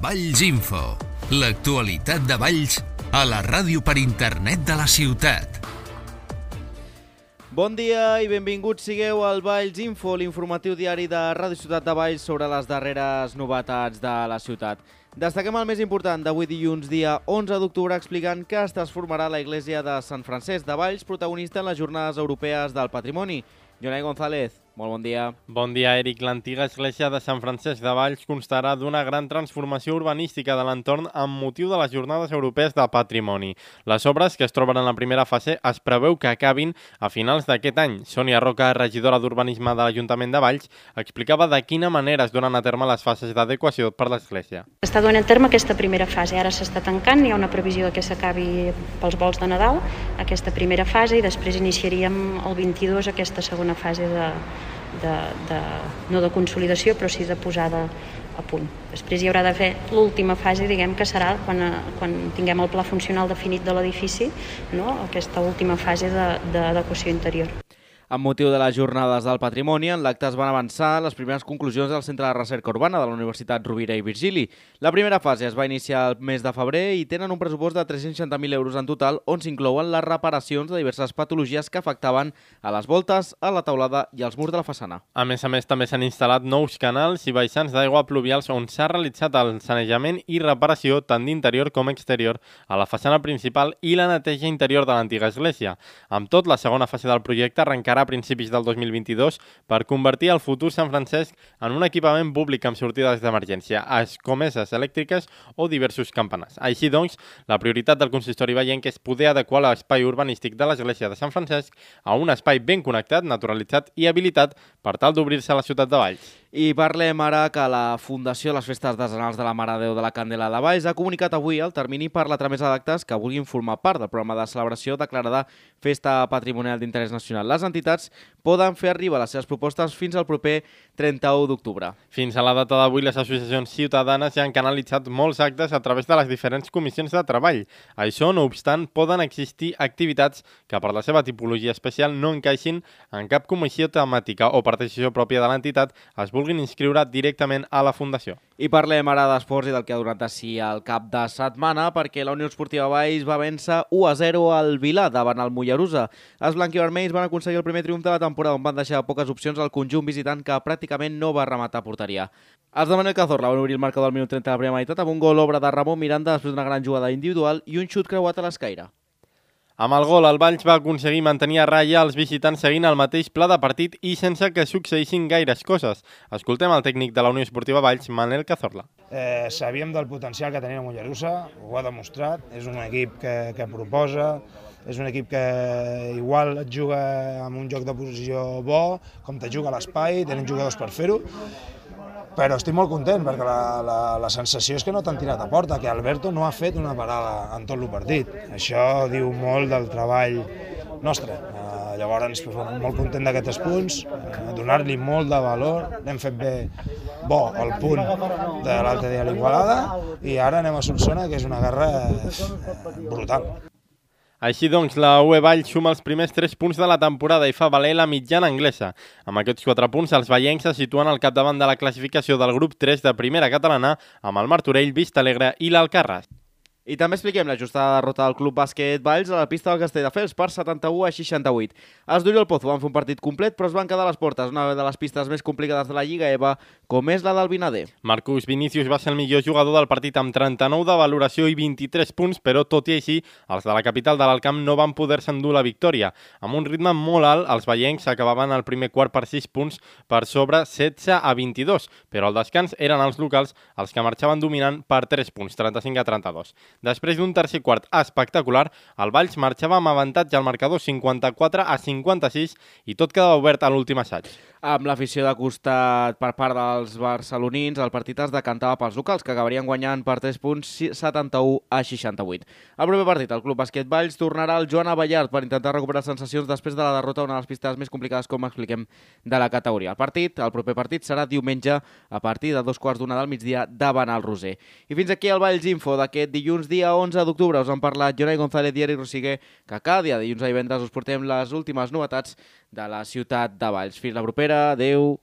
Valls Info, l'actualitat de Valls a la ràdio per internet de la ciutat. Bon dia i benvinguts sigueu al Valls Info, l'informatiu diari de Ràdio Ciutat de Valls sobre les darreres novetats de la ciutat. Destaquem el més important d'avui dilluns, dia 11 d'octubre, explicant que es transformarà la Església de Sant Francesc de Valls, protagonista en les Jornades Europees del Patrimoni. Jonai González, molt bon dia. Bon dia, Eric. L'antiga església de Sant Francesc de Valls constarà d'una gran transformació urbanística de l'entorn amb motiu de les Jornades Europees de Patrimoni. Les obres, que es troben en la primera fase, es preveu que acabin a finals d'aquest any. Sònia Roca, regidora d'Urbanisme de l'Ajuntament de Valls, explicava de quina manera es donen a terme les fases d'adequació per l'església. S'està donant a terme aquesta primera fase, ara s'està tancant, hi ha una previsió que s'acabi pels vols de Nadal, aquesta primera fase, i després iniciaríem el 22 aquesta segona fase no de consolidació, però sí de posada a punt. Després hi haurà de fer l'última fase, diguem que serà quan tinguem el pla funcional definit de l'edifici, no? Aquesta última fase d'adequació interior. Amb motiu de les Jornades del Patrimoni, en l'acte es van avançar les primeres conclusions del Centre de Recerca Urbana de la Universitat Rovira i Virgili. La primera fase es va iniciar el mes de febrer i tenen un pressupost de 360.000 euros en total, on s'inclouen les reparacions de diverses patologies que afectaven a les voltes, a la teulada i als murs de la façana. A més, també s'han instal·lat nous canals i baixants d'aigua pluvials on s'ha realitzat el sanejament i reparació tant d'interior com exterior a la façana principal i la neteja interior de l'antiga església. Amb tot, la segona fase del projecte arrencarà a principis del 2022 per convertir el futur Sant Francesc en un equipament públic amb sortides d'emergència, escomeses elèctriques o diversos campanars. Així doncs, la prioritat del consistori vallenc és poder adequar l'espai urbanístic de l'església de Sant Francesc a un espai ben connectat, naturalitzat i habilitat per tal d'obrir-se a la ciutat de Valls. I parlem ara que la Fundació de les Festes Artesanals de la Mare de Déu de la Candela de Valls ha comunicat avui el termini per la tramesa d'actes que vulguin formar part del programa de celebració declarada Festa Patrimonial d'Interès Nacional. Les entitats poden fer arribar les seves propostes fins al proper 31 d'octubre. Fins a la data d'avui, les associacions ciutadanes ja han canalitzat molts actes a través de les diferents comissions de treball. Això, no obstant, poden existir activitats que per la seva tipologia especial no encaixin en cap comissió temàtica o per decisió pròpia de l'entitat es vulguin inscriure directament a la Fundació. I parlem ara d'esports i del que ha donat així el cap de setmana, perquè la Unió Esportiva Valls va vèncer 1-0 al Vilà davant el Mollerussa. Els blanquivermells van aconseguir el primer triomf de la temporada, on van deixar poques opcions al conjunt visitant que pràcticament no va rematar a porteria. Els de Manel Cazorla van obrir el marcador al minut 30 de la primera meitat amb un gol obra de Ramon Miranda després d'una gran jugada individual i un xut creuat a l'escaire. Amb el gol, el Valls va aconseguir mantenir a ratlla els visitants seguint el mateix pla de partit i sense que succeïssin gaires coses. Escoltem el tècnic de la Unió Esportiva Valls, Manel Cazorla. Sabíem del potencial que tenia el Mollerussa, ho ha demostrat, és un equip que proposa, és un equip que igual et juga amb un joc de posició bo, com te juga a l'espai, tenen jugadors per fer-ho, però estic molt content perquè la sensació és que no t'han tirat a porta, que Alberto no ha fet una parada en tot el partit. Això diu molt del treball nostre. Llavors, molt content d'aquests punts, donar-li molt de valor, n'hem fet bé bo el punt de l'altre dia a l'Igualada i ara anem a Solsona, que és una guerra brutal. Així doncs, la UE Valls suma els primers 3 punts de la temporada i fa valer la mitjana anglesa. Amb aquests 4 punts, els vallencs se situen al capdavant de la classificació del grup 3 de primera catalana amb el Martorell, Vistalegre i l'Alcarràs. I també expliquem la justada derrota del Club Bàsquet Valls a la pista del Castelldefels per 71-68. Els d'Oriol Pozo van fer un partit complet, però es van quedar a les portes, una de les pistes més complicades de la Lliga EVA, com és la del Vinader. Marcus Vinícius va ser el millor jugador del partit amb 39 de valoració i 23 punts, però tot i així, els de la capital de l'Alcamp no van poder-se endur la victòria. Amb un ritme molt alt, els vallencs acabaven el primer quart per 6 punts per sobre 16-22, però al descans eren els locals els que marxaven dominant per 3 punts, 35-32. Després d'un tercer quart espectacular, el Valls marxava amb avantatge al marcador 54-56 i tot quedava obert a l'últim assaig. Amb l'afició de costat per part dels barcelonins, el partit es decantava pels locals, que acabarien guanyant per 3 punts 71-68. Al proper partit, el Club Bàsquet Valls tornarà al Joan Abellard per intentar recuperar sensacions després de la derrota a una de les pistes més complicades, com expliquem, de la categoria. El proper partit serà diumenge a partir de 2:15 del migdia davant el Roser. I fins aquí el Valls Info d'aquest dilluns, dia 11 d'octubre. Us han parlat Jonai González i Eric Rosiguer, que cada dia dilluns a divendres us portem les últimes novetats de la ciutat de Valls. Fins la propera, adeu!